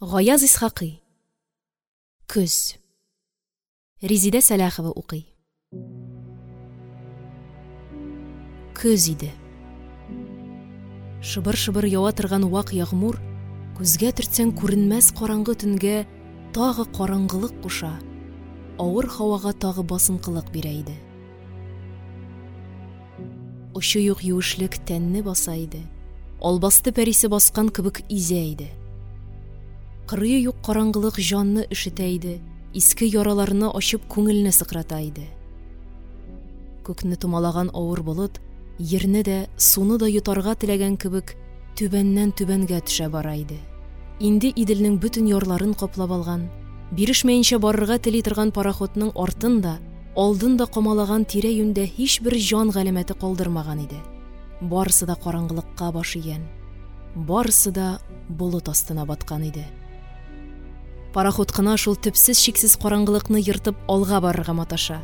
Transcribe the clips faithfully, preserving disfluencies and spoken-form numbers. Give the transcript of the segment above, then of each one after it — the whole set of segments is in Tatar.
Гаяз Исхакый. Көз. Резидә Сәләхова укый. Көз иде. Шыбыр-шыбыр ява торган вак ягъмур, күзгә төртсәң күренмәс караңгы төнгә тагы караңгылык куша, авыр һавага тагы басынкылык бирә иде. Очы юк юешлек тәнне баса иде, албасты пәрисе баскан кебек изә иде. Кырые юк караңгылык җанны өшетә иде, иске яраларны ачып күңелне сыкрата иде. Күкне томалаган авыр болыт, ерне дә, суны да йотарга теләгән кебек, түбәннән түбәнгә төшә бара иде. Инде Иделнең бөтен ярларын каплап алган, бирешмәенчә барырга тели торган пароходның артын да, алдын да камалаган тирә-юньдә һичбер җан галәмәте калдырмаган иде. Барысы да караңгылыкка баш игән, барысы да болыт астына баткан иде. Пароход кына шул төпсез-чиксез караңгылыкны ертып алга барырга маташа.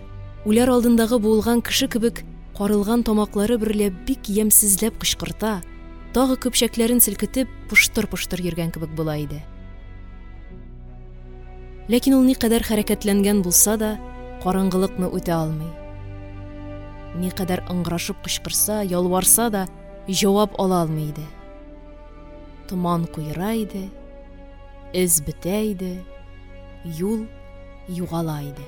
Үләр алдындагы буылган кеше кебек карылган тамаклары берлә бик ямьсезләп кычкырта, тагы көпчәкләрен селкетеп поштыр-поштыр йөргән кебек була иде. Ләкин ул никадәр хәрәкәтләнгән булса да, караңгылыкны үтә алмый. Никадәр ыңгырашып кычкырса, ялварса да, җавап ала алмый иде. Томан куера иде, эз бетә иде, юл югала иде.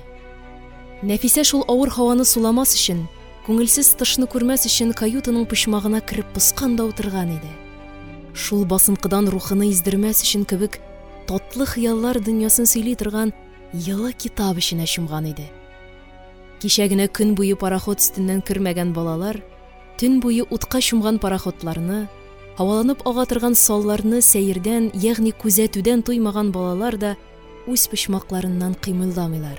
Нәфисә шул авыр һаваны суламас өчен, күңелсез тышны күрмәс өчен каютаның почмагына кереп поскан да утырган иде. Шул басынкыдан рухыны издермәс өчен кебек татлы хыяллар дөньясын сөйли торган йылы китап эченә чумган иде. Кичә генә көн буе пароход өстеннән кермәгән балалар, төн буе утка чумган пароходларны, һаваланып ага торган салларны сәердән, ягъни күзәтүдән туймаган балалар да үз почмакларыннан кыймылдамыйлар.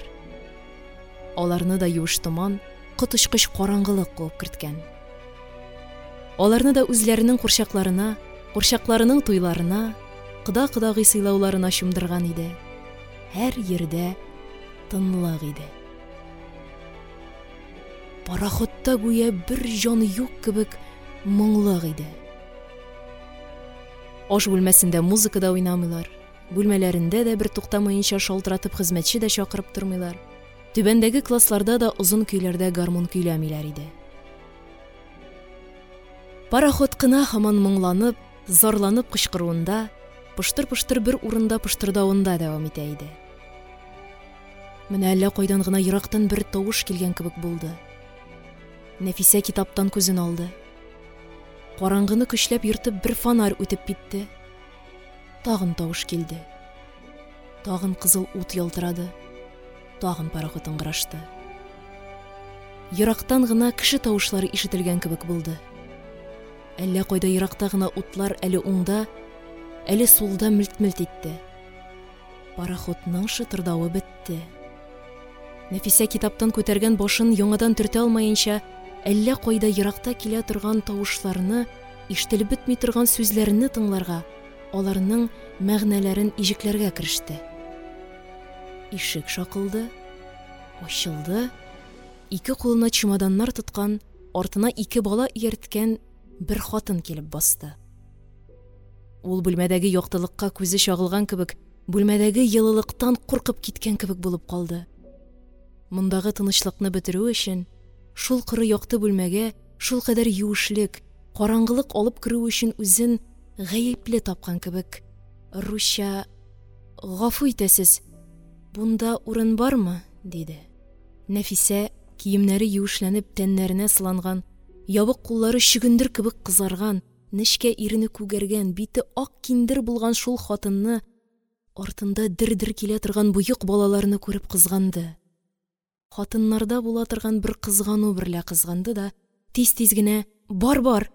Аларны да юеш томан, коточкыч караңгылык куып керткән. Аларны да үзләренең курчакларына, курчакларының туйларына, кода-кодагый сыйлауларына чумдырган иде. Һәр ердә тынлык иде. Пароходта гүя бер җан юк кебек моңлык иде. Аш бүлмәсендә музыка да уйнамыйлар, бүлмәләрендә дә бер туктамаенча шалтыратып хезмәтче дә чакырып тормыйлар. Түбәндәге классларда да озын көйләрдә гармун көйләмиләр иде. Пароход кына һаман моңланып, зарланып кычкыруында, поштыр-поштыр бер урында поштырдавында дәвам итә иде. Менә әллә кайдан гына ерактан бер тавыш килгән кебек булды. Нәфисә китаптан күзен алды. Караңгыны көчләп ертып бер фонарь үтеп китте. Тагын тавыш килде. Тагын кызыл ут ялтырады. Тагын пароход ыңгырашты. Ерактан гына кеше тавышлары ишетелгән кебек булды. Әллә кайда еракта гына утлар әле уңда, әле сулда мелт-мелт итте. Пароходның шытырдавы бетте. Нәфисә китаптан күтәргән башын яңадан төртә алмаенча, әллә кайда еракта килә торган тавышларны, ишетелеп бетми торган сүзләрне тыңларга, аларның мәгънәләрен иҗекләргә кереште. Ишек шакылды, ачылды, ике кулына чемоданнар тоткан, артына ике бала иярткән бер хатын килеп басты. Ул бүлмәдәге яктылыкка күзе чагылган кебек, бүлмәдәге йылылыктан куркып киткән кебек булып калды. Мондагы тынычлыкны бетерү өчен, шул коры якты бүлмәгә шул кадәр юешлек, караңгылык алып керү өчен үзен гаепле тапкан кебек, русча: «Гафу итәсез, бунда урын бармы?» – диде. Нәфисә, киемнәре юешләнеп тәннәренә сыланган, ябык куллары чөгендер кебек кызарган, нечкә ирене күгәргән, бите ак киндер булган шул хатынны, артында дер-дер килә торган боек балаларны күреп кызганды. Хатыннарда була торган бер кызгану берлә кызганды да, тиз-тиз генә: «Бар, бар,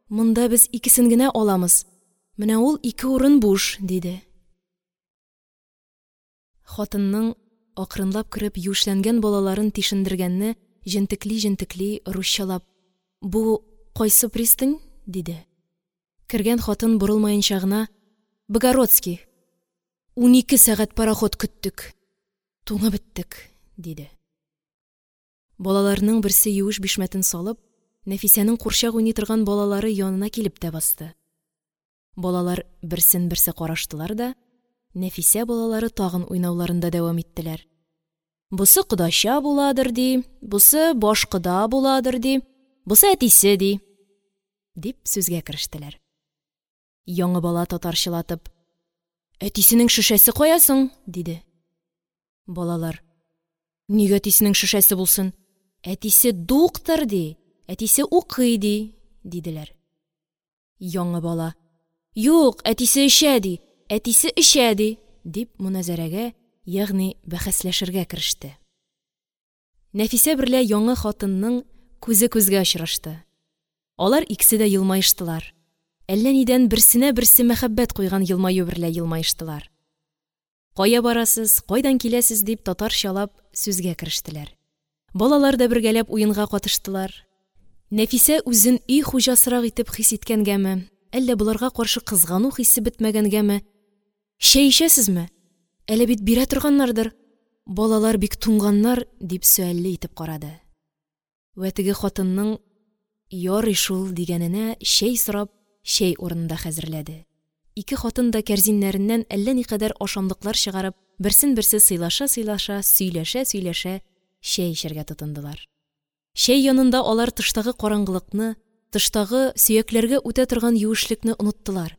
монда без икесен генә аламыз. Менә ул ике урын буш», – диде. Хатынның акрынлап кереп юешләнгән балаларын тишендергәнне җентекли-җентекли русчалап: «Бу кайсы пристань?» – диде. Кергән хатын борылмаенча гына: «Богородский. Унике сәгать пароход көттек. Туңып беттек», – диде. Балаларның берсе юеш бишмәтен салып, Нәфисәнең курчак уйный торган балалары янына килеп тә басты. Балалар берсен берсе караштылар да, Нәфисә балалары тагын уйнауларында дәвам иттеләр. Бусы кодача буладыр, ди, бусы баш кода буладыр, ди, бусы әтисе, ди, дип сүзгә керештеләр. Яңа бала татарчалатып: «Әтисенең шешәсе кая соң?» – диде. Балалар: «Нигә әтисенең шешәсе булсын? Әтисе дуктыр, ди, әтисе укый, ди», – диделәр. Яңа бала: «Юк, әтисе эчә, ди, әтисе эчә, ди», – дип моназарәгә, ягъни бәхәсләшергә кереште. Нәфисә берлә яңа хатынның күзе күзгә очрашты. Алар икесе дә елмаештылар. Әллә нидән берсенә берсе мәхәббәт куйган елмаю берлә елмаештылар. Кая барасыз, кайдан киләсез дип татарчалап сүзгә керештеләр. Балалар да бергәләп уенга катыштылар. Нәфисә үзен өй хуҗасырак итеп хис иткәнгәме, әллә боларга каршы кызгану хисе бетмәгәнгәме: «Чәй эчәсезме? Әле бит бирә торганнардыр, балалар бик туңганнар», – дип сөальле итеп карады. Вә теге хатынның «ярый шул» дигәненә чәй сорап, чәй урынында хәзерләде. Ике хатын да кәрзиннәреннән әллә никадәр ашамлыклар чыгарып, берсен-берсе сыйлаша-сыйлаша, сөйләшә-сөйләшә чәй эчәргә тотындылар. Чәй янында алар тыштагы караңгылыкны, тыштагы сөякләргә үтә торган юешлекне оныттылар.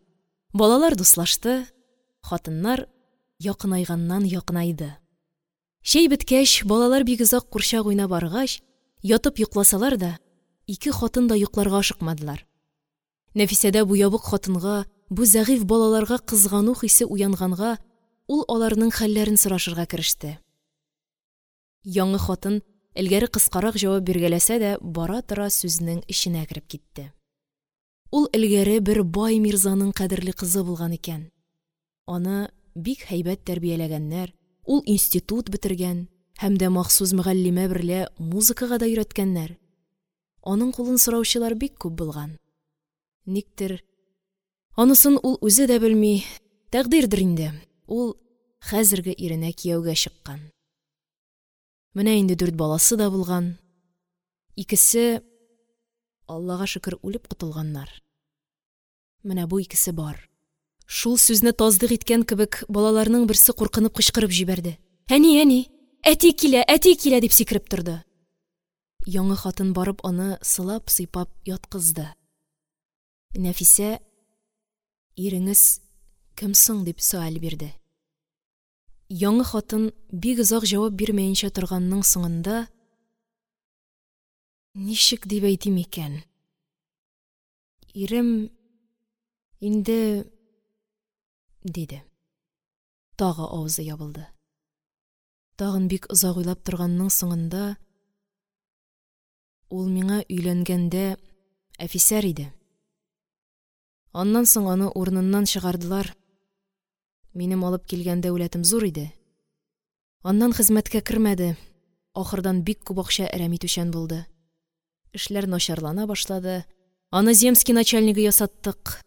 Балалар дуслашты, хатыннар якынайганнан якынайды. Чәй беткәч, балалар бик озак курчак уйнап арыгач, ятып йокласалар да, ике хатын да йокларга ашыкмадылар. Нәфисәдә бу ябык хатынга, бу зәгыйфь балаларга кызгану хисе уянганга, ул аларның хәлләрен сорашырга кереште. Яңа хатын элгәре кыскарак җавап биргәләсә дә, бара-тора сүзнең эченә кереп китте. Ул элгәре бер бай мирзаның кадерле кызы булган икән. Аны бик һәйбәт тәрбияләгәннәр, ул институт бетергән һәм дә махсус мөгаллимә берлә музыкага да өйрәткәннәр. Аның кулын сораучылар бик күп булган. Никтер, анысын ул үзе дә белми, тәкъдирдер инде, ул хәзерге иренә кияүгә чыккан. Менә инде дүрт баласы да булган. Икесе, Аллага шөкер, үлеп котылганнар. Менә бу икесе бар. Шул сүзне тасдыйк иткән кебек, балаларның берсе куркынып кычкырып җибәрде. «Әни, әни, әти килә, әти килә!» дип сикереп торды. Яңа хатын барып аны сылап-сыйпап яткызды. Нәфисә: «Иреңез кем соң?» – дип сөаль бирде. Яңа хатын бик озак җавап бирмәенчә торганның соңында: «Ничек дип әйтим икән? Ирем инде…» – диде. Тагы авызы ябылды. Тагын бик озак уйлап торганның соңында: «Ул миңа өйләнгәндә әфисәр иде. Аннан соң аны урыныннан чыгардылар. Минем алып килгән дәүләтем зур иде. Аннан хезмәткә кермәде. Ахырдан бик күп акча әрәм итүчән булды. Эшләр начарлана башлады. Аны земский начальнигы ясаттык.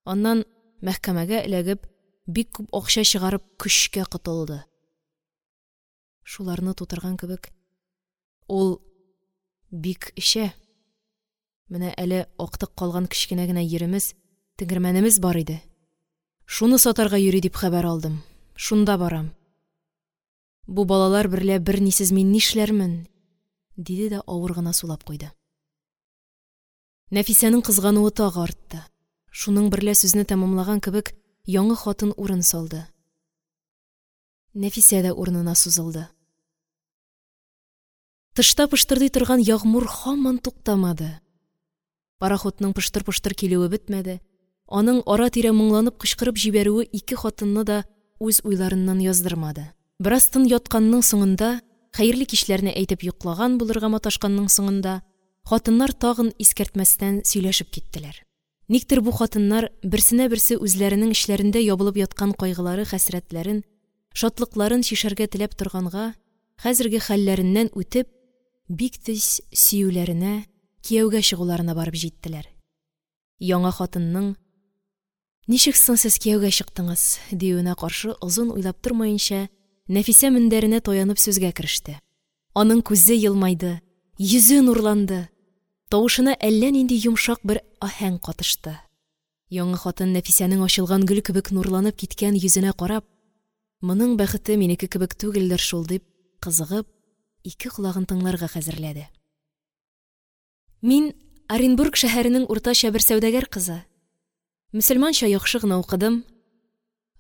Аннан мәхкәмәгә эләгеп, бик күп акча чыгарып көчкә котылды. Шуларны тутырган кебек, ул бик эчә. Менә әле актык калган кечкенә генә йиремез, тегермәнемез бар иде. Шуны сатарга йөри дип хәбәр алдым. Шунда барам. Бу балалар берлә бернисез мин нишләрмен?» – диде дә авыр гына сулап куйды. Нәфисәнең кызгануы тагы артты. Шуның берлә сүзне тәмамлаган кебек, яңа хатын урын салды. Нәфисә дә урынына сузылды. Тышта пыштырдый торган ягъмур һаман туктамады. Пароходның пыштыр-пыштыр килүе бетмәде. Аның ара-тирә моңланып кычкырып җибәрүе ике хатынны да үз уйларыннан яздырмады. Бераз тын ятканның соңында, хәерле кичләрне әйтеп йоклаган булырга маташканның соңында, хатыннар тагын искәртмәстән сөйләшеп киттеләр. Никтер бу хатыннар берсенә берсе үзләренең эчләрендә ябылып яткан кайгылары, хәсрәтләрен, шатлыкларын чишәргә теләп торганга, хәзерге хәлләреннән үтеп, бик тиз сөюләренә, кияүгә чыгуларына барып җиттеләр. Яңа хатынның «Ничек соң сез кияүгә чыктыңыз?» диюенә каршы озын уйлап тормаенча, Нәфисә мендәренә таянып сүзгә кереште. Аның күзе елмайды, йөзе нурланды, тавышына әллә нинди йомшак бер аһәң катышты. Яңа хатын Нәфисәнең ачылган гөл кебек нурланып киткән йөзенә карап, Моның бәхете минеке кебек түгелдер шул дип, кызыгып, ике колагын тыңларга хәзерләде. Мин Оренбург шәһәренең уртача бер сәүдәгәр кызы. Мөселманча яхшы гына укыдым.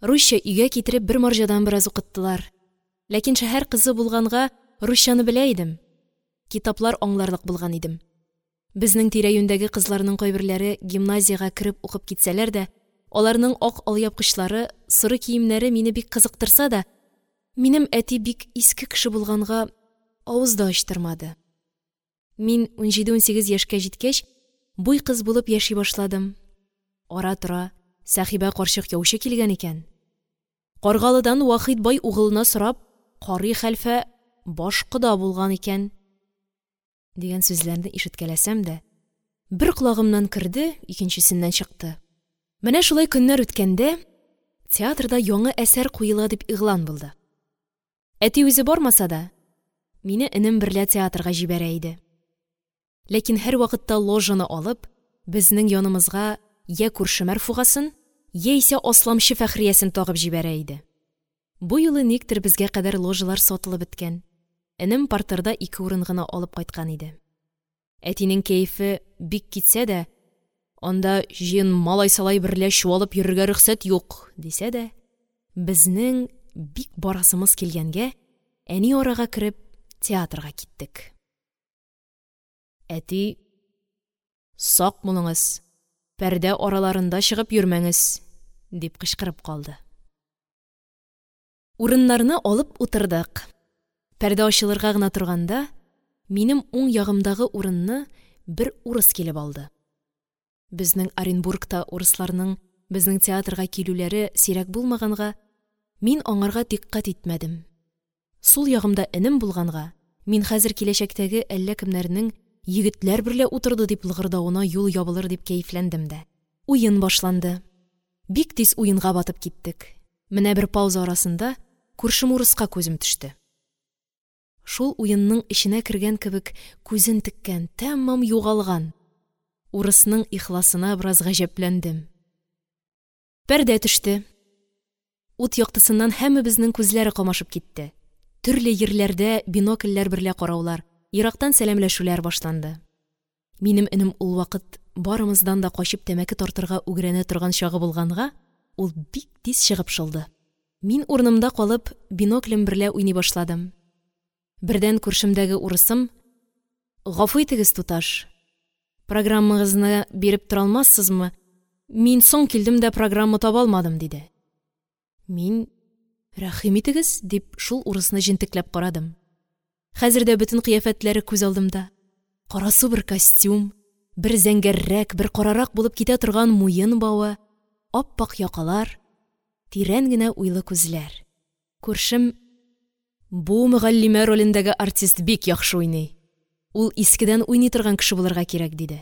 Русча өйгә китереп бер марҗадан бераз укыттылар. Ләкин шәһәр кызы булганга русчаны белә идем. Китаплар аңларлык булган идем. Безнең тирә-юньдәге кызларның кайберләре гимназиягә кереп укып китсәләр дә, аларның ак алъяпкычлары, соры киемнәре мине бик кызыктырса да, минем әти бик иске кеше булганга авыз да ачтырмады. Мин унҗиде-унсигез яшькә җиткәч, буй кыз булып яши башладым. Ара-тора Сәхибә карчык яучы килгән икән. Каргалыдан Вахит бай угылына сорап, карый хәлфә баш кода булган икән дигән сүзләрне ишеткәләсәм дә, бер колагымнан керде, икенчесеннән чыкты. Менә шулай көннәр үткәндә, театрда яңа әсәр куела дип игълан булды. Әти үзе бармаса да, мине энем берлә театрга җибәрә иде. Ләкин һәрвакытта ложаны алып, безнең янымызга йә күрше Мәрфугасын, яисә Асламчы Фәхриясен тагып җибәрә иде. Бу юлы никтер безгә кадәр ложалар сатылып беткән. Энем партерда ике урын гына алып кайткан иде. Әтинең кәефе бик китсә дә, анда җыен малай-салай берлә чуалып йөрергә рөхсәт юк, дисә дә, безнең бик барасымыз килгәнгә, әни арага кереп театрга киттек. Әти: «Сак булыңыз, пәрдә араларында чыгып йөрмәңез», дип кычкырып калды. Урыннарны алып утырдык. Пәрдә ачылырга гына торганда, минем уң ягымдагы урынны бер урыс килеп алды. Безнең Оренбургта урысларның безнең театрга килүләре сирәк булмаганга, мин аңарга дикъкать итмәдем. Сул ягымда энем булганга, мин хәзер киләчәктәге әллә кемнәрнең егетләр берлә утырды дип лыгырдавына юл ябылыр дип кәефләндем дә. Уен башланды. Бик тиз уенга батып киттек. Менә бер пауза арасында күршем урыска күзем төште. Шул уенның эченә кергән кебек күзен теккән, тәмам югалган. Урысның ихласына бераз гаҗәпләндем. Пәрдә төште. Ут яктысыннан һәммәбезнең күзләре камашып китте. Төрле ерләрдә бинокльләр берлә караулар, ерактан сәламләшүләр башланды. Минем энем ул вакыт барымыздан да качып тәмәке тартырга үгрәнә торган чагы булганга, ул бик тиз чыгып шылды. Мин урынымда калып, биноклем берлә уйный башладым. Бердән күршемдәге урысым: «Гафу итегез, туташ, программагызны биреп тора алмассызмы? Мин соң килдем дә программа таба алмадым», диде. Мин: «Рәхим итегез», дип шул урысны җентекләп карадым. Хәзер дә бөтен кыяфәтләре күз алдымда. Карасу бер костюм, бер зәңгәррәк, бер карарак булып китә торган муен бавы, ап-ак якалар, тирән генә уйлы күзләр. Күршем: «Бу мөгаллимә ролендәге артист бик яхшы уйный. Ул искедән уйный торган кеше булырга кирәк», диде.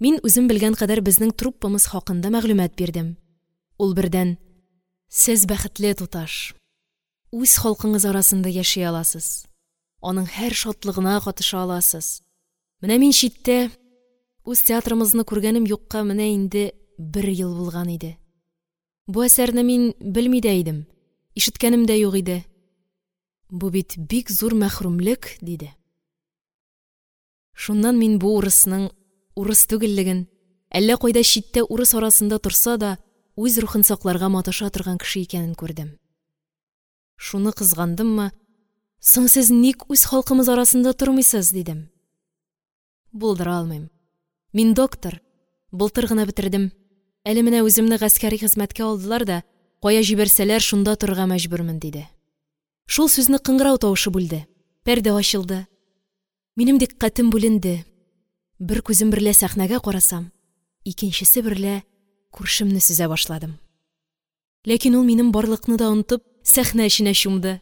Мин үзем белгән кадәр безнең труппамыз хакында мәгълүмат бирдем. Ул бердән: «Сез бәхетле, туташ. Үз халкыңыз арасында яши аласыз. Аның һәр шатлыгына катыша аласыз. Менә мин читтә, үз театрымызны күргәнем юкка менә инде бер ел булган иде. Бу әсәрне мин белми дә идем, ишеткәнем дә юк иде. Бу бит бик зур мәхрүмлек», диде. Шуннан мин бу урысның урыс түгеллеген, әллә кайда читтә урыс арасында торса да, үз рухын сакларга маташа торган кеше икәнен күрдем. Шуны кызгандыммы: «Соң сез ник үз халкымыз арасында тормыйсыз?» дидем. «Булдыра алмыйм. Мин доктор, былтыр гына бетердем. Әле менә үземне гаскәри хезмәткә алдылар да, кая җибәрсәләр, шунда торырга мәҗбүрмен», диде. Шул сүзне кыңгырау тавышы бүлде. Пәрдә ачылды. Минем дикъкатем бүленде. Бер күзем берлә сәхнәгә карасам, икенчесе берлә күршемне сөзә башладым. Ләкин ул минем барлыкны да онытып, сәхнә эченә чумды.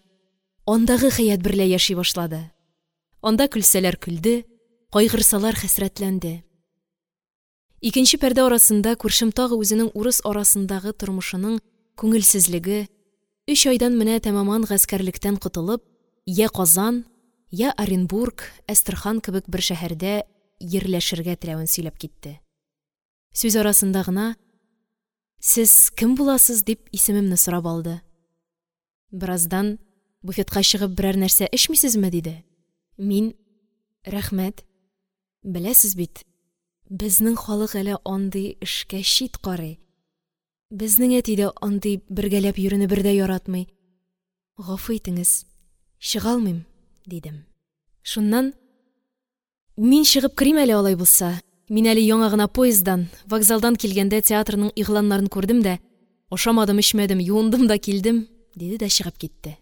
Андагы хәят берлә яши башлады. Анда көлсәләр көлде, кайгырсалар хәсрәтләнде. Икенче пәрдә арасында күршем тагы үзенең урыс арасындагы тормышының күңелсезлеге, өч айдан менә тәмаман гаскәрлектән котылып, йә Казан, йә Оренбург, Әстерхан кебек бер шәһәрдә ерләшергә теләвен сөйләп китте. Сүз арасында гына: «Сез кем буласыз?» дип исемемне сорап алды. Бераздан: «Буфетка чыгып берәр нәрсә эчмисезме?» – диде. Мин: «Рәхмәт, беләсез бит, безнең халык әле андый эшкә чит карый, безнең әти дә андый бергәләп йөрүне бер дә яратмый, гафу итеңез, чыга алмыйм», – дидем. Шуннан: «Мин чыгып керим әле алай булса, мин әле яңа гына поезддан, вокзалдан килгәндә театрның игъланнарын күрдем дә, ашамадым-эчмәдем, юындым да килдем», – диде дә чыгып китте.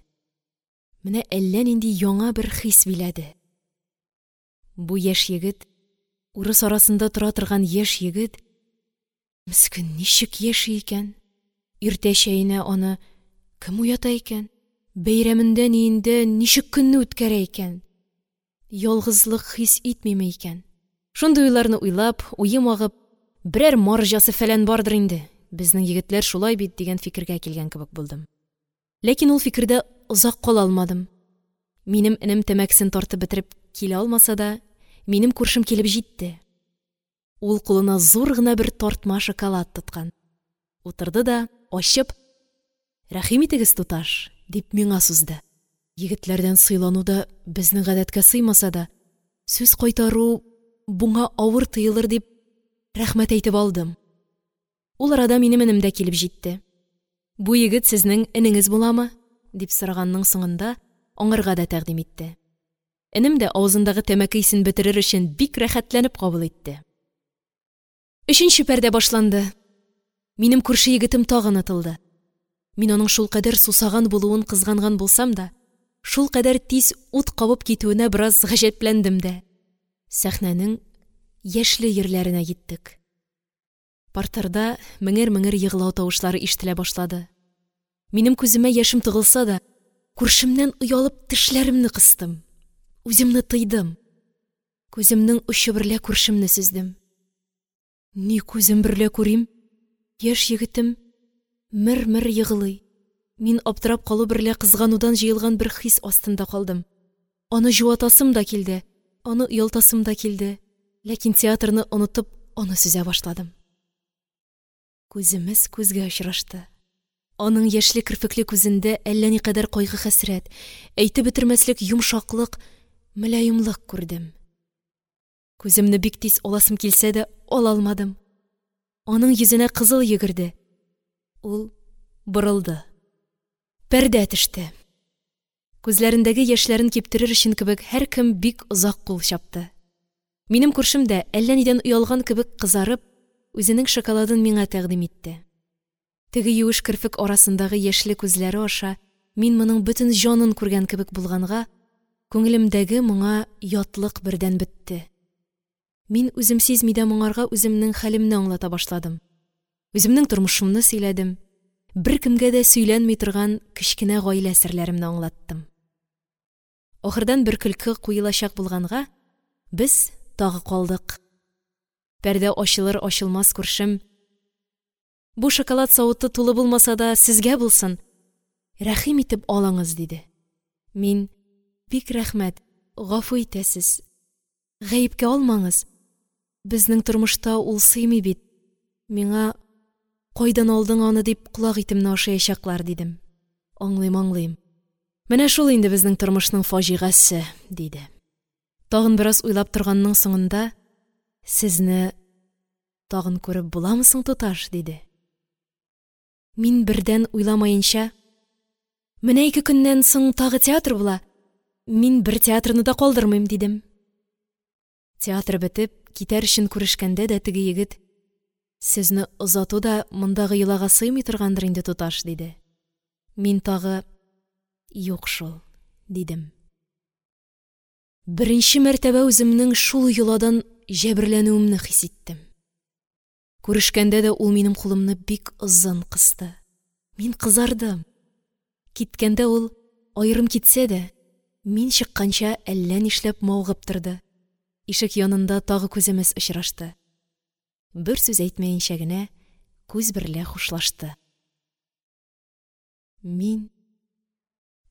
Менә әллә нинди яңа бер хис биләде. Бу яшь егет, урыс арасында тора торган яшь егет, мескен, ничек яши икән? Иртә чәенә аны кем уята икән? Бәйрәмендә-ниендә ничек көнне үткәрә икән? Ялгызлык хис итмиме икән? Шундый уйларны уйлап, уем агып, берәр марҗасы фәлән бардыр инде, безнең егетләр шулай бит дигән фикергә килгән кебек булдым. Ләкин ул фикердә озак кала алмадым. Минем энем тәмәкесен тартып бетереп килә алмаса да, минем күршем килеп җитте. Ул кулына зур гына бер тартма шоколад тоткан. Утырды да, ачып: «Рәхим итегез, туташ», – дип миңа сузды. Егетләрдән сыйлану да безнең гадәткә сыймаса да, сүз кайтару буңа авыр тыелыр дип, рәхмәт әйтеп алдым. Ул арада минем энем дә килеп җитте. «Бу егет сезнең энеңез буламы?» – дип сораганның соңында аңарга да тәкъдим итте. Энем дә авызындагы тәмәке исен бетерер өчен бик рәхәтләнеп кабул итте. Өченче пәрдә башланды. Минем күрше егетем тагы онытылды. Мин аның шулкадәр сусаган булуын кызганган булсам да, шулкадәр тиз ут кабып китүенә бераз гаҗәпләндем дә. Сәхнәнең яшьле җирләренә киттек. Партерда меңер-меңер егълау тавышлары ишетелә башлады. Минем күземә яшем тыгылса да, күршемнән оялып тешләремне кыстым. Үземне тыйдым. Күземнең очы берлә күршемне сөздем. Ни күзем берлә күрим? Яшь егетем мер-мер егълый. Мин аптырап калу берлә кызганудан җыелган бер хис астында калдым. Аны җуатасым да килде, аны оялтасым да килде. Ләкин театрны онытып, аны сөзә башладым. Күземез күзгә очрашты. Аның яшьле керфекле күзендә әллә никадәр кайгы-хәсрәт, әйтеп бетермәслек йомшаклык, мөлаемлык күрдем. Күземне бик тиз аласым килсә дә, ала алмадым. Аның йөзенә кызыл йөгерде. Ул борылды. Пәрдә төште. Күзләрендәге яшьләрен киптерер өчен кебек һәркем бик озак кул чапты. Минем күршем дә әллә нидән оялган кебек кызарып, үзенең шоколадын миңа тәкъдим итте. Теге юеш керфек арасындагы яшьле күзләре аша мин моның бөтен җанын күргән кебек булганга, күңелемдәге моңа ятлык бердән бетте. Мин үзем сизми дә моңарга үземнең хәлемне аңлата башладым. Үземнең тормышымны сөйләдем. Беркемгә дә сөйләнми торган кечкенә гаилә серләремне аңлаттым. Ахырдан бер көлке куелачак булганга, без тагы калдык. Пәрдә ачылыр-ачылмас күршем: «Бу шоколад савыты тулы булмаса да, сезгә булсын, рәхим итеп алыңыз», – диде. Мин: «Бик рәхмәт, гафу итәсез, гаепкә алмаңыз, безнең тормышта ул сыймый бит, миңа кайдан алдың аны дип колак итемне ашаячаклар», – дидем. «Аңлыйм, аңлыйм. Менә шул инде безнең тормышның фаҗигасе», – диде. Тагын бераз уйлап торганның соңында: «Сезне тагын күреп буламы соң, туташ?» – диде. Мин бердән уйламаенча: «Менә ике көннән соң тагы театр була, мин бер театрны да калдырмыйм», – дидем. Театр бетеп, китәр өчен күрешкәндә дә теге егет: «Сезне озату да мондагы йолага сыймый торгандыр инде, туташ», – диде. Мин тагы: «Юк шул», – дидем. Беренче мәртәбә үземнең шул йоладан җәберләнүемне хис иттем. Күрешкәндә дә ул минем кулымны бик озын кысты. Мин кызардым. Киткәндә ул аерым китсә дә, мин чыкканча әллә нишләп мавыгып торды. Ишек янында тагы күземез очрашты. Бер сүз әйтмәенчә генә күз берлә хушлашты. Мин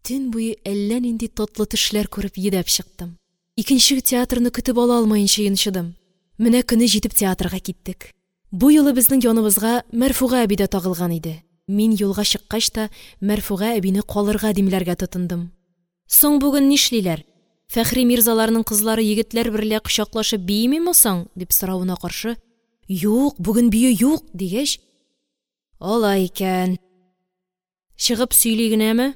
төн буе әллә нинди татлы төшләр күреп йөдәп чыктым. Икенче театрны көтеп ала алмаенча йончыдым. Менә көне җитеп театрга киттек. Бу юлы безнең яныбызга Мәрфуга әби дә тагылган иде. Мин юлга чыккач та, Мәрфуга әбине калырга димләргә тотындым. «Соң, бүген нишлиләр, Фәхри мирзаларның кызлары егетләр берлә кочаклашып биимиме соң?» – дип соравына каршы: «Юк, бүген бию юк!» – дигәч: «Алай икән, чыгып сөйли генәме?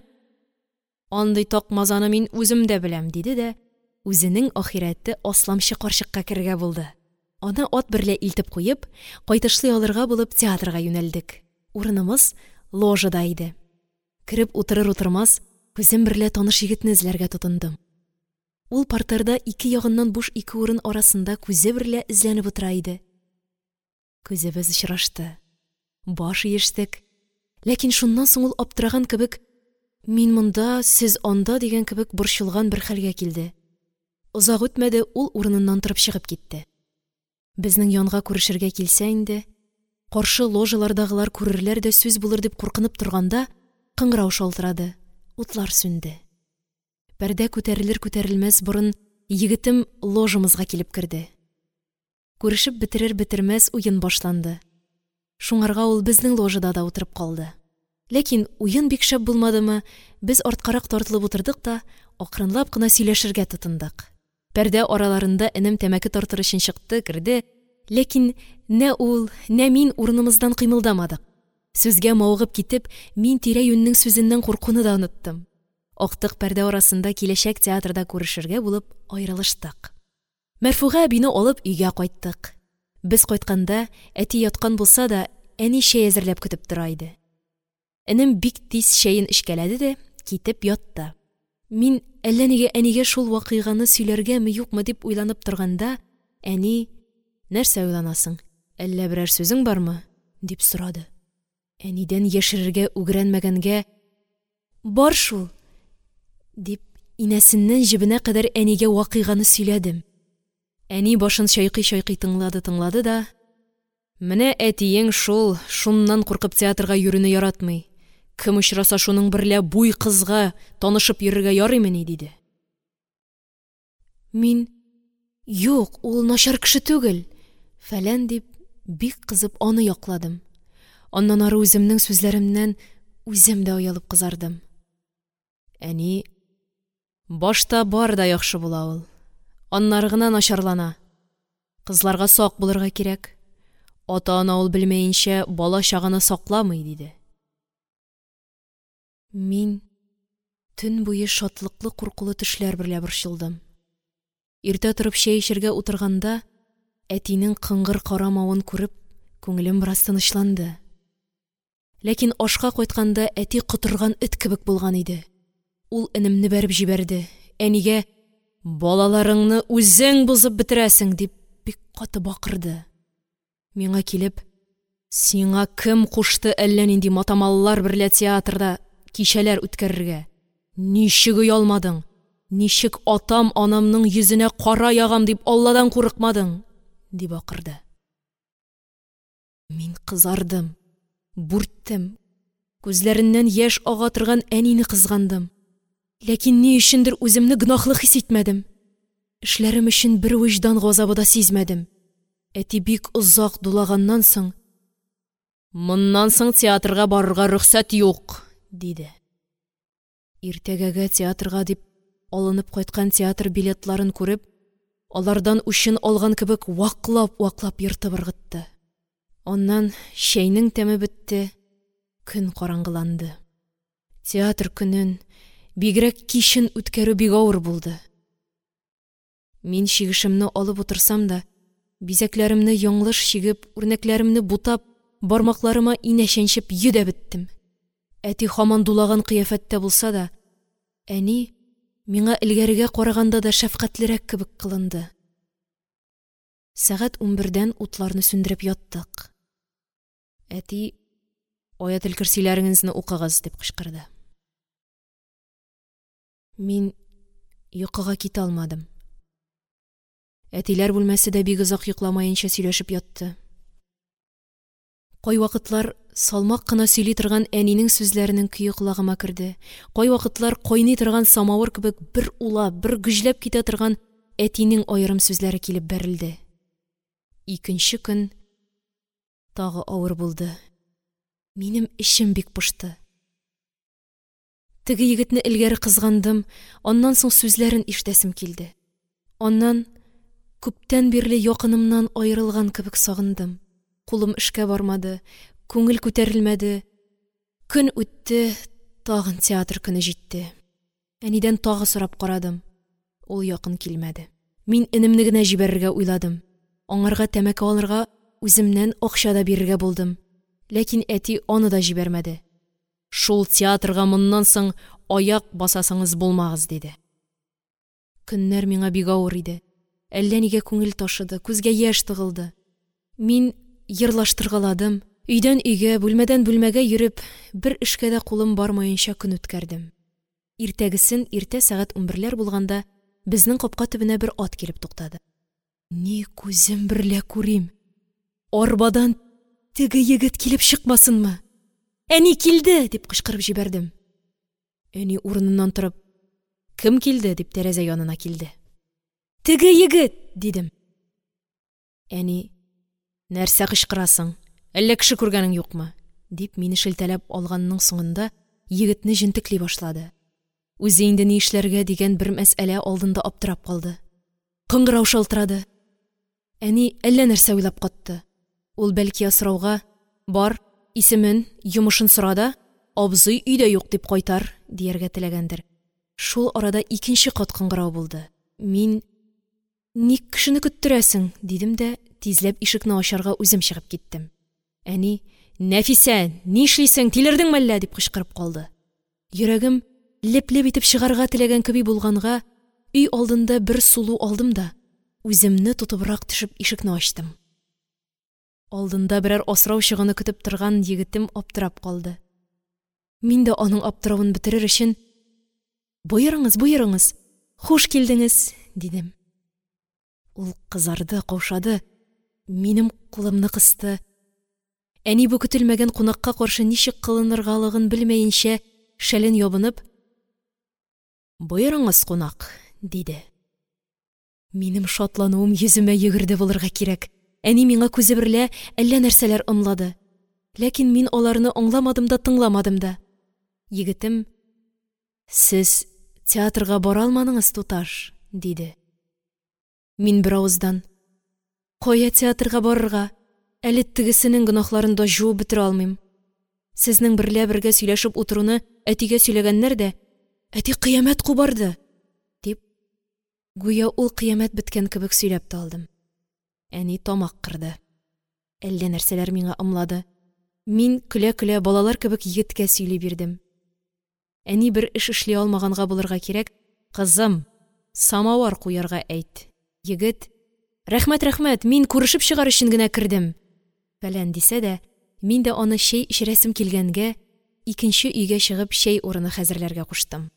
Андый такмазаны мин үзем дә беләм», – диде дә үзенең ахирәте асламчы карчыкка керергә булды. Аны ат берлә илтеп куеп, кайтышлый алырга булып, театрга юнәлдек. Урынымыз ложада иде. Кереп утырыр-утырмас, күзем берлә таныш егетне эзләргә тотындым. Ул партерда ике ягыннан буш ике урын арасында күзе берлә эзләнеп утыра иде. Күзебез очрашты. Баш иештек. Ләкин шуннан соң ул аптыраган кебек, мин монда, сез анда дигән кебек борчылган бер хәлгә килде. Озак үтмәде, ул урыныннан торып чыгып китте. Безнең янга күрешергә килсә инде, каршы ложалардагылар күрерләр дә сүз булыр дип куркынып торганда, кыңгырау шалтырады, утлар сүнде. Пәрдә күтәрелер-күтәрелмәс борын егетем ложамызга килеп керде. Күрешеп бетерер-бетермәс уен башланды. Шуңарга ул безнең ложада да утырып калды. Ләкин уен бик шәп булмадымы, без арткарак тартылып утырдык та, акрынлап кына сөйләшергә тотындык. Пәрдә араларында энем тәмәке тартыр өчен чыкты, керде. Ләкин нә ул, нә мин урынымыздан кыймылдамадык. Сүзгә мавыгып китеп, мин тирә-юньнең сүзеннән куркуны да оныттым. Актык пәрдә арасында киләчәк театрда күрешергә булып аерылыштык. Мәрфуга әбине алып өйгә кайттык. Без кайтканда әти яткан булса да, әни чәй әзерләп көтеп тора иде. Энем бик тиз чәен эчкәләде дә китеп ятты. Мин әллә нигә әнигә шул вакыйганы сөйләргәме юкмы дип уйланып торганда, әни: «Нәрсә уйланасың, әллә берәр сүзең бармы?» – дип сорады. Әнидән яшерергә үгрәнмәгәнгә: «Бар шул!» – дип, инәсеннән җебенә кадәр әнигә вакыйганы сөйләдем. Әни башын чайкый-чайкый тыңлады-тыңлады да: «Менә әтиең шул, шуннан куркып театрга йөрүне яратмый. Кем очраса шуның берлә буй кызга танышып йөрергә ярыймыни?» – диде. Мин: «Юк, ул начар кеше түгел!» – фәлән дип, бик кызып аны якладым. Аннан ары үземнең сүзләремнән үзем дә оялып кызардым. Әни: «Башта бар да яхшы була ул, аннары гына начарлана. Кызларга сак булырга кирәк. Ата-ана ул белмәенчә бала-чаганы сакламый», – диде. Мин төн буе шатлыклы куркулы төшләр берлә борчылдым. Иртә торып чәй эчәргә утырганда, әтинең кыңгыр карамавын күреп, күңелем бераз тынычланды. Ләкин ашка кайтканда әти котырган эт кебек булган иде. Ул энемне бәреп җибәрде. Әнигә: «Балаларыңны үзең бозып бетерәсең!» – дип бик каты бакырды. Миңа килеп: «Сиңа кем кушты әллә нинди матамаллар берлә театрда кичәләр үткәрергә? Ничек оялмадың? Ничек атам-анамның йөзенә кара ягам дип Алладан курыкмадың?» – дип акырды. Мин кызардым, бүрттем. Күзләреннән яшь ага торган әнине кызгандым. Ләкин ни өчендер үземне гөнаһлы хис итмәдем. Эшләрем өчен бер вөҗдан газабы да сизмәдем. Әти бик озак дулаганнан соң: «Моннан соң театрга барырга рөхсәт юк!» – диде. Иртәгәгә театрга дип алынып кайткан театр билетларын күреп, алардан үчен алган кебек ваклап-ваклап ертып ыргытты. Аннан чәйнең тәме бетте, көн караңгыланды. Театр көнен, бигрәк кичен үткәрү бик авыр булды. Мин чигешемне алып утырсам да, бизәкләремне яңлыш чигеп, үрнәкләремне бутап, бармакларыма инә чәнчеп йөдәп беттем. Әти һаман дулаган кыяфәттә булса да, әни миңа элгәрегә караганда да шәфкатьлерәк кебек кылынды. Сәгать унбердән утларны сүндереп яттык. Әти: «Аятел-Көрсиләрегезне укыгыз!» – дип кычкырды. Мин йокыга китә алмадым. Әтиләр бүлмәсе дә бик озак йокламаенча сөйләшеп ятты. Кайвакытлар салмак кына сөйли торган әнинең сүзләренең көе колагыма керде. Кайвакытлар кайный торган самавыр кебек бер улап, бер гөжләп китә торган әтинең аерым сүзләре килеп бәрелде. Икенче көн тагы авыр булды. Минем эчем бик пошты. Теге егетне элгәре кызгандым, аннан соң сүзләрен ишетәсем килде. Аннан күптән бирле якынымнан аерылган кебек сагындым. Кулым эшкә бармады, күңел күтәрелмәде. Көн үтте, тагын театр көне җитте. Әнидән тагы сорап карадым. Ул якын килмәде. Мин энемне генә җибәрергә уйладым. Аңарга тәмәке алырга үземнән акча да бирергә булдым. Ләкин әти аны да җибәрмәде. «Шул театрга моннан соң аяк басасыңыз булмагыз», – диде. Көннәр миңа бик авыр иде. Әллә нигә күңел ташыды, күзгә яшь тыгылды. Мин йырлаштыргаладым. Өйдән өйгә, бүлмәдән бүлмәгә йөреп, бер эшкә дә кулым бармаенча көн үткәрдем. Иртәгесен иртә сәгать унберләр булганда безнең капка төбенә бер ат килеп туктады. Ни күзем берлә күрим, арбадан теге егет килеп чыкмасынмы? «Әни килде!» – дип кычкырып җибәрдем. Әни урыныннан торып, «Кем килде?» – дип тәрәзә янына килде. «Теге егет!» – дидем. Әни: «Нәрсә кычкырасың? Әллә кеше күргәнең юкмы?» – дип мине шелтәләп алганның соңында егетне җентекли башлады. Үзе инде ни эшләргә дигән бер мәсьәлә алдында аптырап калды. Кыңгырау шалтырады. Әни әллә нәрсә уйлап катты. Ул бәлки асрауга: «Бар, исемен, йомышын сора да, абзый өйдә юк дип кайтар», – дияргә теләгәндер. Шул арада икенче кат кыңгырау булды. Мин: «Ник кешене көттерәсең?» – дидем дә тизләп ишекне ачарга үзем чыгып киттем. Әни: «Нәфисә, ни эшлисең, тилердеңме әллә?» – дип кычкырып калды. Йөрәгем леп-леп итеп чыгарга теләгән кеби булганга, өй алдында бер сулу алдым да үземне тотыбрак төшеп ишекне ачтым. Алдында берәр асрау чыгыны көтеп торган егетем аптырап калды. Мин дә аның аптыравын бетерер өчен: «Боерыңыз, боерыңыз, хуш килдеңез», – дидем. Ул кызарды, каушады, минем кулымны кысты. Әни бу көтелмәгән кунакка каршы ничек кылыныргалыгын белмәенчә, шәлен ябынып: «Боерыңыз, кунак», – диде. Минем шатлануым йөземә йөгерде булырга кирәк. Әни миңа күзе берлә әллә нәрсәләр ымлады. Ләкин мин аларны аңламадым да, тыңламадым да. Егетем: «Сез театрга бара алмадыңыз, туташ», – диде. Мин бер авыздан: «Кая театрга барырга? Әле тегесенең гөнаһларын да җуып бетерә алмыйм. Сезнең берлә бергә сөйләшеп утыруны әтигә сөйләгәннәр дә, әти кыямәт кубарды», – дип, гүя ул кыямәт беткән кебек сөйләп тә алдым. Әни тамак кырды. Әллә нәрсәләр миңа ымлады. Мин көлә-көлә балалар кебек егеткә сөйли бирдем. Әни бер эш эшли алмаганга булырга кирәк: «Кызым, самавар куярга әйт». Егет: «Рәхмәт, рәхмәт, мин күрешеп чыгар өчен генә кердем», фәлән дисә дә, мин дә аны чәй эчерәсем килгәнгә, икенче өйгә чыгып чәй урыны хәзерләргә куштым.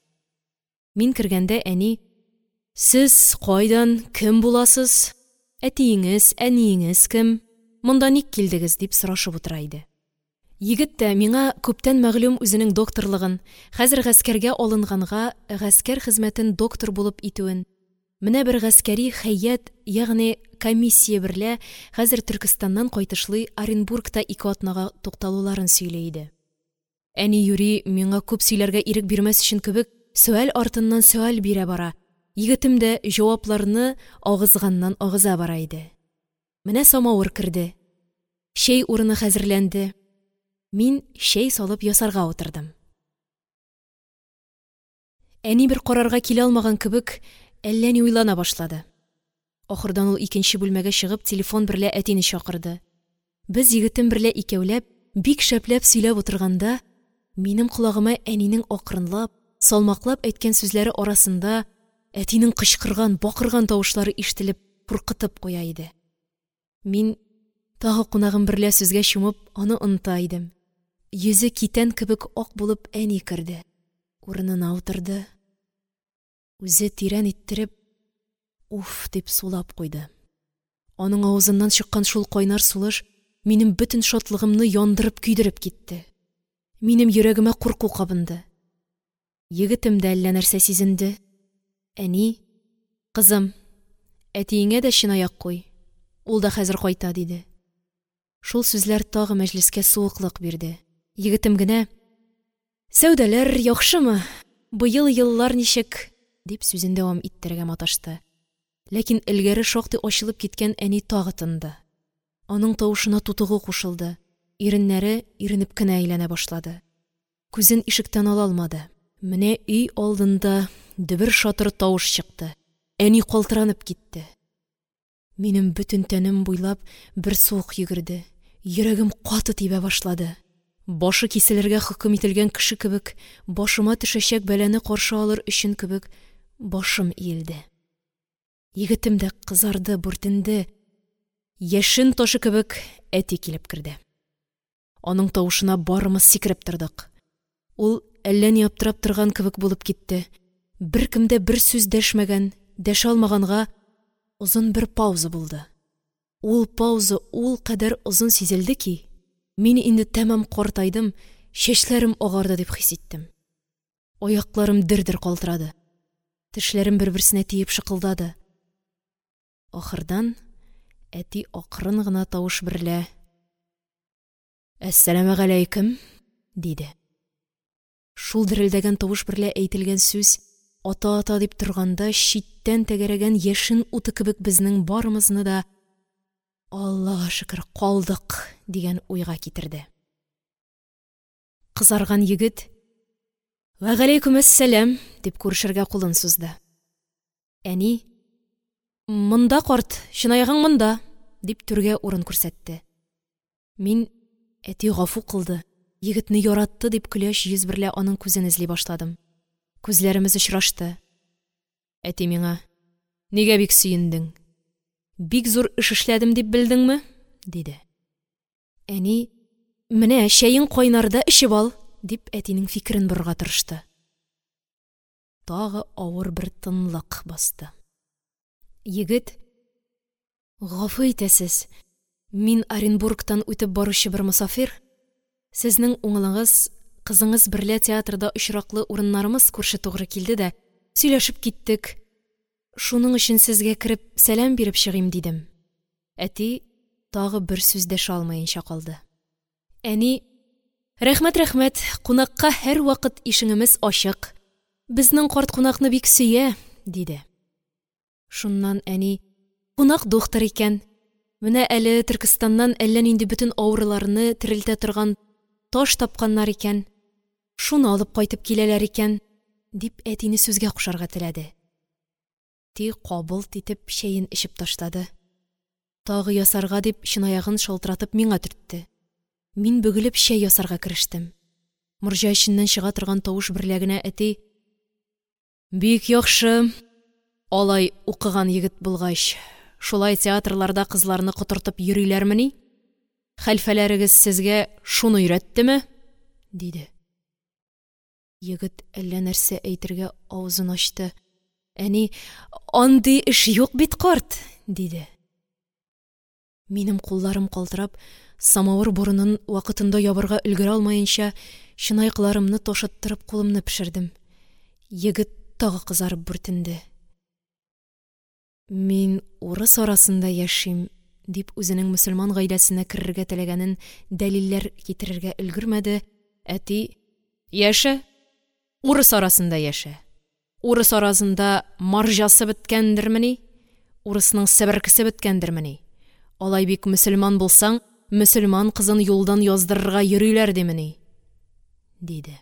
Мин кергәндә әни: «Сез кайдан, кем буласыз? Әтиеңез, әниеңез кем? Монда ник килдегез?» – дип сорашып утыра иде. Егет тә миңа күптән мәгълүм үзенең докторлыгын, хәзер гаскәргә алынганга гаскәр хезмәтен доктор булып итүен, менә бер гаскәри хәят, ягъни комиссия берлә хәзер Төркестаннан кайтышлый Оренбургта ике атнага тукталуларын сөйли иде. Әни юри миңа күп сөйләргә ирек бирмәс өчен кебек сөаль артыннан сөаль бирә бара, егетем дә җавапларны агызганнан агыза бара иде. Менә самавыр керде. Чәй урыны хәзерләнде. Мин чәй салып ясарга утырдым. Әни бер карарга килә алмаган кебек әллә ни уйлана башлады. Ахырдан ул икенче бүлмәгә чыгып телефон берлә әтине чакырды. Без егетем берлә икәүләп, бик шәпләп сөйләп утырганда, минем колагыма әнинең акрынлап, салмаклап әйткән сүзләре арасында әтинең кычкырган, бакырган тавышлары ишетелеп, куркытып куя иде. Мин тагы кунагым берлә сүзгә чумып, аны оныта идем. Йөзе китән кебек ак булып әни керде. Урынына утырды. Үзе тирән иттереп «Уф!» дип сулап куйды. Аның авызыннан чыккан шул кайнар сулыш минем бөтен шатлыгымны яндырып-көйдереп китте. Минем йөрәгемә курку кабынды. Егетем дә әллә нәрсә сизенде. Әни: «Кызым, әтиеңә дә чынаяк куй, ул да хәзер кайта», – диде. Шул сүзләр тагы мәҗлескә суыклык бирде. Егетем генә: «Сәүдәләр яхшымы, быел еллар ничек?» – дип, сүзен дәвам иттерергә маташты. Ләкин элгәре шактый ачылып киткән әни тагы тынды. Аның тавышына тутыгу кушылды, иреннәре иренеп кенә әйләнә башлады. Күзен ишектән ала алмады. Менә өй алдында дөбер-шатыр тавыш чыкты. Әни калтыранып китте. Минем бөтен тәнем буйлап бер суык йөгерде. Йөрәгем каты тибә башлады. Башы киселергә хөкем ителгән кеше кебек, башыма төшәчәк бәлане каршы алыр өчен кебек, башым иелде. Егетем дә кызарды, бүртенде. Яшен ташы кебек әти килеп керде. Аның тавышына барымыз сикереп тордык. Ул әллә ни аптырап торган кебек булып китте. Беркем дә бер сүз дәшмәгән, дәшә алмаганга озын бер пауза булды. Ул пауза ул кадәр озын сизелде ки, мин инде тәмам картайдым, чәчләрем агарды дип хис иттем. Аякларым дер-дер калтырады. Тешләрем бер-берсенә тиеп шыкылдады. Ахырдан әти акрын гына тавыш берлә: «Әссәламегаләйкем!» – диде. Шул дерелдәгән тавыш берлә әйтелгән сүз ата-ата дип торганда читтән тәгәрәгән яшен уты кебек безнең барымызны да «Аллага шөкер, калдык!» дигән уйга китерде. Кызарган егет: «Вәгаләйкүмәссәлам!» – дип күрешергә кулын сузды. Әни: «Монда, карт, чынаягың монда!» – дип түргә урын күрсәтте. Мин, әти гафу кылды, егетне яратты дип көләч йөз берлә аның күзен эзли башладым. Күзләремез очрашты. Әти миңа: «Нигә бик сөендең? Бик зур эш эшләдем дип белдеңме?» – диде. Әни: «Менә чәең кайнарда, эчеп ал!» – дип әтинең фикерен борырга тырышты. Тагы авыр бер тынлык басты. Егет: «Гафу итәсез, мин Оренбургтан үтеп баручы бер мосафир. Сезнең уңылыңыз, кызыңыз берлә театрда очраклы урыннарымыз күрше тугры килде дә, сөйләшеп киттек. Шуның өчен сезгә кереп сәлам биреп чыгыйм, дидем». Әти тагы бер сүз дәшә алмаенча калды. Әни: «Рәхмәт, рәхмәт, кунакка һәрвакыт ишегемез ачык. Безнең карт кунакны бик сөя», – диде. Шуннан әни: «Кунак духтыр икән. Менә әле Төркестаннан әллә нинди бөтен авыруларны терелтә торган таш тапканнар икән. Шуны алып кайтып киләләр икән», – дип әтине сүзгә кушарга теләде. Әти кабылт итеп чәен эчеп ташлады. Тагы ясарга дип чынаягын шалтыратып миңа төртте. Мин бөгелеп чәй ясарга керештем. Морҗа эченнән чыга торган тавыш берлә генә әти: «Бик яхшы, алай укыган егет булгач, шулай театрларда кызларны котыртып йөриләрмени? Хәлфәләрегез сезгә шуны өйрәттеме?» – диде. Егет әллә нәрсә әйтергә авызын ачты. Әни: «Андый эш юк бит, карт!» – диде. Минем кулларым калтырап, самавыр борынын вакытында ябарга өлгерә алмаенча, чынаякларымны ташыттырып кулымны пешердем. Егет тагы кызарып бүртенде. «Мин урыс арасында яшим», – дип үзенең мөселман гаиләсенә керергә теләгәнен дәлилләр китерергә өлгермәде. Әти: «Яшә, урыс арасында яшә. Урыс арасында марҗасы беткәндермени? Урысның себеркесе беткәндермени? Алай бик мөселман булсаң, мөселман кызын юлдан яздырырга йөриләр димени?» – диде.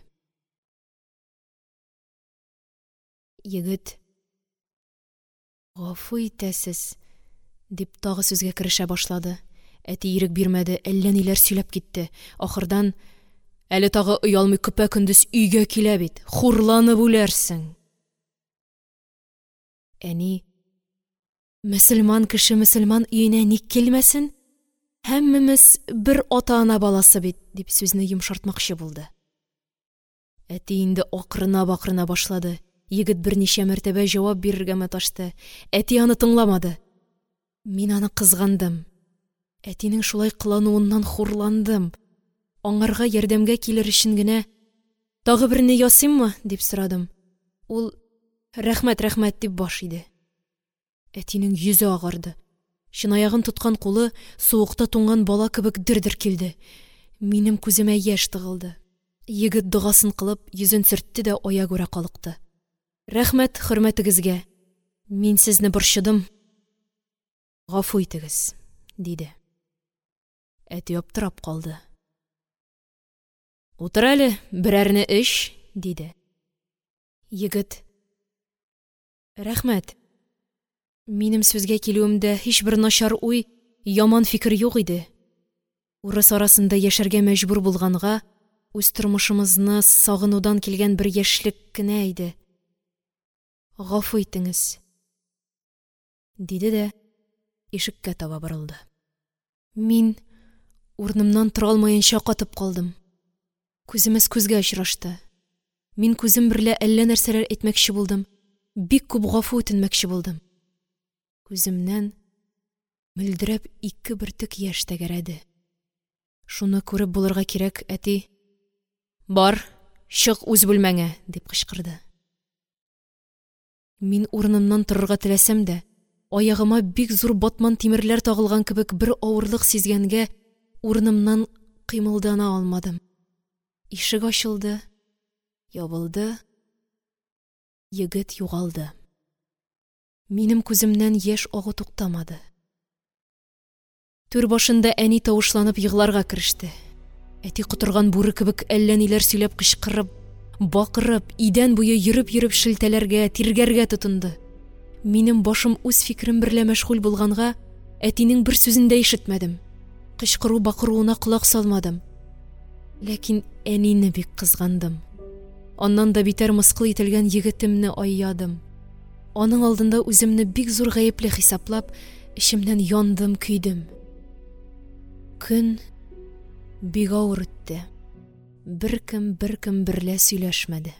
Егет: «Гафу итәсез», – дип тагы сүзгә керешә башлады. Әти ирек бирмәде, әллә ниләр сөйләп китте. Ахырдан: «Әле тагы оялмый көпә-көндез өйгә килә бит, хурланып үләрсең!» Әни: «Мөселман кеше мөселман өенә ник килмәсен? Һәммәмез бер ата-ана баласы бит», – дип сүзне йомшартмакчы булды. Әти инде акырына-бакырына башлады. Егет берничә мәртәбә җавап бирергә маташты. Әти аны тыңламады. Мин аны кызгандым. Әтинең шулай кылануыннан хурландым. Аңарга ярдәмгә килер өчен генә: «Тагы берне ясыйммы?» – дип сорадым. Ул: «Рәхмәт, рәхмәт», – дип баш иде. Әтинең йөзе агарды. Чынаягын тоткан кулы суыкта туңган бала кебек дер-дер килде. Минем күземә яшь тыгылды. Егет догасын кылып, йөзен сөртте дә аягүрә калыкты. «Рәхмәт хөрмәтегезгә, мин сезне борчыдым, гафу итегез», – диде. Әти аптырап калды. «Утыр әле, берәрне эч», – диде. Егет: «Рәхмәт, минем сүзгә килүемдә һичбер начар уй, яман фикер юк иде. Урыс арасында яшәргә мәҗбүр булганга, үз тормышымызны сагынудан килгән бер яшьлек кенә иде. Гафу итеңез», – диде дә ишеккә таба борылды. Мин урынымнан тора алмаенча катып калдым. Күземез күзгә очрашты. Мин күзем берлә әллә нәрсәләр әйтмәкче булдым, бик күп гафу үтенмәкче булдым. Күземнән мөлдерәп ике бөртек яшь тәгәрәде. Шуны күреп булырга кирәк, әти: «Бар, чык үз бүлмәңә!» – дип кычкырды. Мин урынымнан торырга теләсәм дә, аягыма бик зур батман тимерләр тагылган кебек бер авырлык сизгәнгә, урынымнан кыймылдана алмадым. Ишек ачылды, ябылды, егет югалды. Минем күземнән яшь агу туктамады. Түр башында әни тавышланып егларга кереште. Әти котырган бүре кебек әллә ниләр сөйләп кычкырып, бакырып, идән буе йөреп-йөреп шелтәләргә, тиргәргә тотынды. Минем башым үз фикерем берлә мәшгуль булганга, әтинең бер сүзен дә ишетмәдем. Кычкыру-бакыруына колак салмадым. Ләкин әнине бик кызгандым. Аннан да битәр мыскыл ителгән егетемне айядым. Аның алдында үземне бик зур гаепле хисаплап, эчемнән яндым, көйдем. Көн бик авыр үтте. Беркем беркем берлә сөйләшмәде.